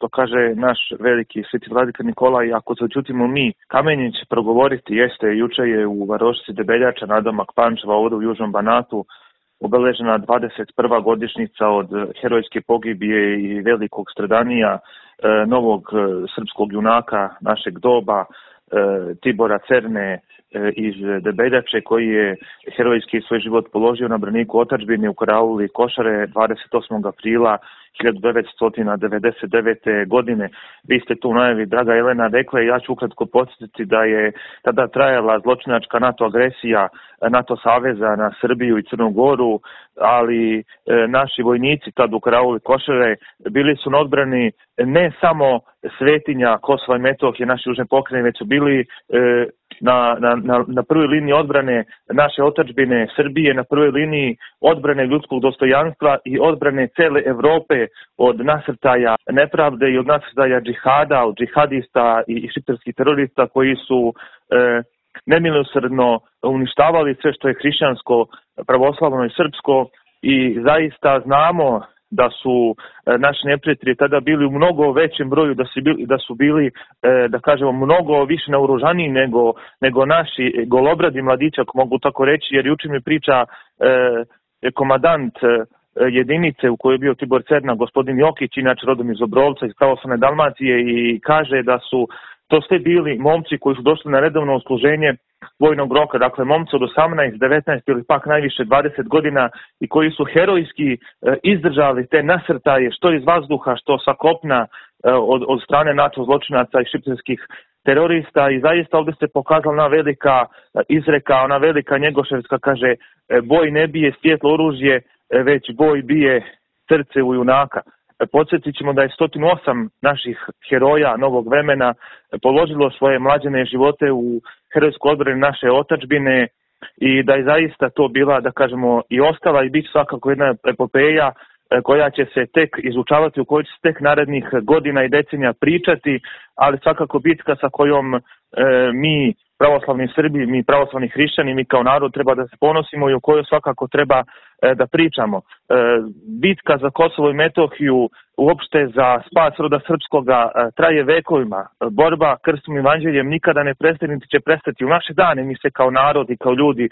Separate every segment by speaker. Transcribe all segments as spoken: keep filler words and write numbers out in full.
Speaker 1: što kaže naš veliki sveti vladika Nikolaj, ako začutimo mi, kamenje će progovoriti. Jeste, juče je u varošici Debeljača, nadomak Pančeva, ovdje u Južnom Banatu, obeležena dvadeset prva godišnjica od herojske pogibije i velikog stradanija e, novog e, srpskog junaka našeg doba, e, Tibora Cerne e, iz Debeljače, koji je herojski svoj život položio na braniku otadžbine u karauli Košare dvadeset osmog aprila hiljadu devetsto devedeset devete. godine. Vi ste tu u najavi, draga Jelena, rekla i ja ću ukratko podsjetiti da je tada trajala zločinačka NATO agresija NATO saveza na Srbiju i Crnu Goru, ali e, naši vojnici tad u karauli Košare bili su na odbrani ne samo svetinja Kosova i Metohije, naše južne pokrajine, već su bili e, na, na, na, na prvoj liniji odbrane naše otadžbine Srbije, na prvoj liniji odbrane ljudskog dostojanstva i odbrane cele Evrope od nasrtaja nepravde i od nasrtaja džihada, od džihadista i, i šiptarskih terorista koji su e, nemilosrdno uništavali sve što je hrišćansko, pravoslavno i srpsko, i zaista znamo da su e, naši neprijatelji tada bili u mnogo većem broju, da su bili, da su bili e, da kažemo, mnogo više naoružaniji nego, nego naši golobradi mladići, ako mogu tako reći, jer juče mi priča e, komadant e, jedinice u kojoj je bio Tibor Cerna, gospodin Jokić, inače rodom iz Obrovca, iz pravoslavne Dalmacije, i kaže da su to sve bili momci koji su došli na redovno služenje vojnog roka, dakle momci od osamnaest, devetnaest ili pak najviše dvadeset godina, i koji su herojski e, izdržali te nasrtaje što iz vazduha, što sa kopna e, od, od strane NATO zločinaca i šiptarskih terorista. I zaista ovdje se pokazala ona velika izreka, ona velika njegoševska, kaže, boj ne bije svjetlo oružje, već boj bije srce u junaka. Podsjetit ćemo da je sto osam naših heroja novog vremena položilo svoje mlađene živote u herojskoj odbrani naše otadžbine, i da je zaista to bila, da kažemo, i ostala i bit svakako jedna epopeja koja će se tek izučavati, u kojoj će se tek narednih godina i decenija pričati, ali svakako bitka sa kojom e, mi pravoslavni Srbi, mi pravoslavni hrišćani, mi kao narod treba da se ponosimo i o kojoj svakako treba e, da pričamo. E, bitka za Kosovo i Metohiju, uopšte za spas roda srpskoga, e, traje vekovima. Borba krstom i evanđeljem nikada ne prestaje, niti će prestati. U naše dane mi se kao narod i kao ljudi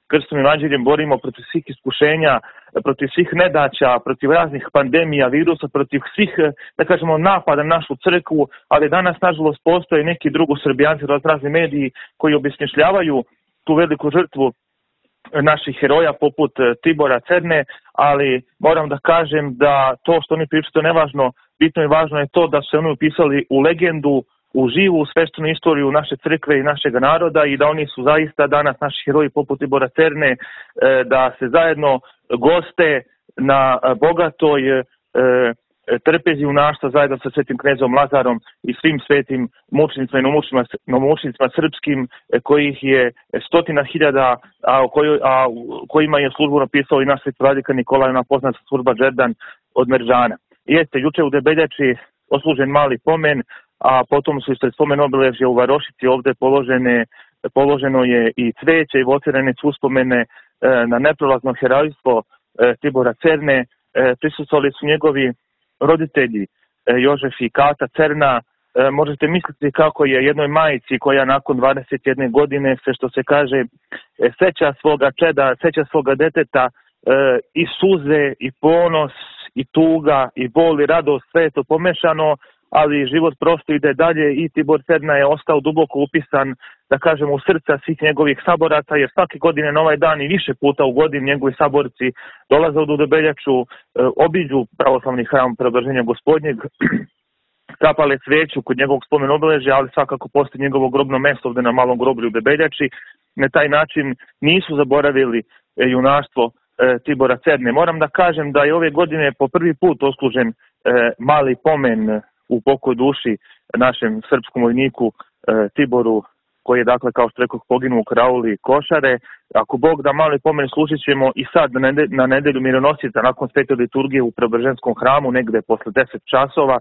Speaker 1: krstom i evanđeljem borimo protiv svih iskušenja, protiv svih nedaća, protiv raznih pandemija, virusa, protiv svih, da kažemo, napada na našu crkvu, ali danas, nažalost, postoje neki drugosrbijanci, razni mediji koji obesmišljavaju tu veliku žrtvu naših heroja poput Tibora Cerne, ali moram da kažem da to što oni pričaju, to je nevažno, bitno i važno je to da su oni upisali u legendu, u živu sveštenu istoriju naše crkve i našeg naroda, i da oni su zaista danas naši heroji poput Tibora Cerne, da se zajedno goste na bogatoj trpezi junaštva zajedno sa svetim knezom Lazarom i svim svetim mučenicima i nomučenicima srpskim, kojih je stotina hiljada, a, koj, a kojima je službu napisao i naš sveti vladika Nikolaj, ona poznata služba Đerdan od Meržana. Jeste, juče u Debeljači oslužen mali pomen, a potom su ispred spomen obeležja u varošici ovdje položene, položeno je i cveće i vocerene su uspomene e, na neprolazno herojstvo e, Tibora Cerne. E, prisustvovali su njegovi roditelji, e, Jožef i Kata Cerna. E, možete misliti kako je jednoj majici koja nakon dvadeset jedne godine, sve što se kaže, e, seća svoga čeda, seća svoga deteta, e, i suze, i ponos, i tuga, i bol, i radost, sve je to pomešano, ali život prosto ide dalje, i Tibor Cerna je ostao duboko upisan, da kažemo, u srca svih njegovih saboraca, jer svake godine na ovaj dan i više puta u godini njegovi saborci dolaze u Debeljaču, obiđu pravoslavni hram Preobraženja Gospodnjeg, kapale sveću kod njegovog spomen obeležja, ali svakako postoji njegovo grobno mesto ovdje na malom groblju u Debeljači. Na taj način nisu zaboravili junaštvo Tibora Cerne. Moram da kažem da je ove godine po prvi put oslužen mali pomen u pokoj duši našem srpskom vojniku e, Tiboru, koji je, dakle, kao što rekoh, poginuo u karauli Košare. Ako Bog da, mali pomen služit ćemo i sad na, nedelj, na nedelju mironosica nakon svete liturgije u Preobrazenskom hramu, negde posle deset časova.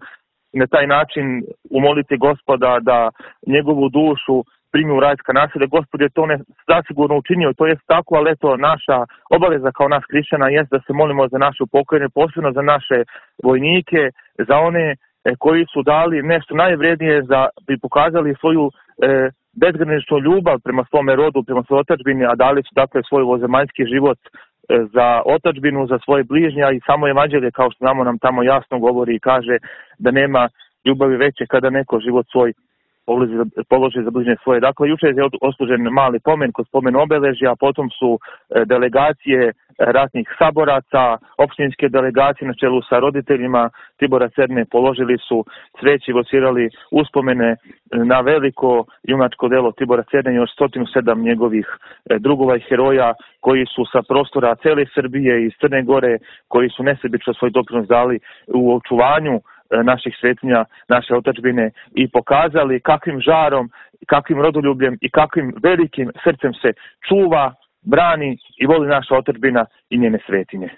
Speaker 1: Na taj način umoliti Gospoda da njegovu dušu primi u rajska naselja. Gospod je to ne zasigurno učinio, to je tako, ali eto, naša obaveza kao nas hrišćana jest da se molimo za naše pokojne, posebno za naše vojnike, za one koji su dali nešto najvrednije da bi pokazali svoju e, bezgraničnu ljubav prema svome rodu, prema svojoj otadžbini, a dali su dakle svoj ovozemaljski život e, za otadžbinu, za svoje bližnja i samo evanđelje, kao što znamo, nam tamo jasno govori i kaže da nema ljubavi veće kada neko život svoj položi za, položi za bližnje svoje. Dakle, juče je oslužen mali pomen kod spomen obeležja, potom su e, delegacije ratnih saboraca, opštinske delegacije na čelu sa roditeljima Tibora Cerne položili su cveće i vocirali uspomene na veliko junačko delo Tibora Cerne i još sto sedam njegovih e, drugova i heroja koji su sa prostora cele Srbije i iz Crne Gore, koji su nesebično svoj doprinos dali u očuvanju naših svetinja, naše otadžbine i pokazali kakvim žarom, kakvim rodoljubljem i kakvim velikim srcem se čuva, brani i voli naša otadžbina i njene svetinje.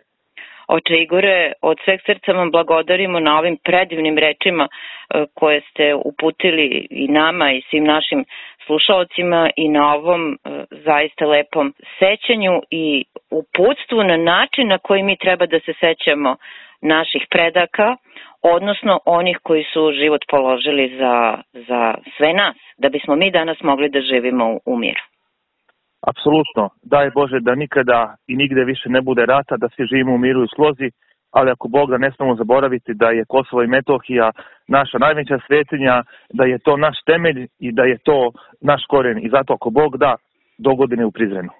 Speaker 2: Oče Igore, od sveg srca vam blagodarimo na ovim predivnim rečima koje ste uputili i nama i svim našim slušalcima i na ovom zaista lepom sećanju i uputstvu na način na koji mi treba da se sećamo naših predaka, odnosno onih koji su život položili za, za sve nas, da bismo mi danas mogli da živimo u miru.
Speaker 1: Apsolutno. Daj Bože da nikada i nigde više ne bude rata, da svi živimo u miru i slozi, ali ako Bog da ne smemo zaboraviti da je Kosovo i Metohija naša najveća svetinja, da je to naš temelj i da je to naš koren. I zato ako Bog da, do godine u Prizrenu.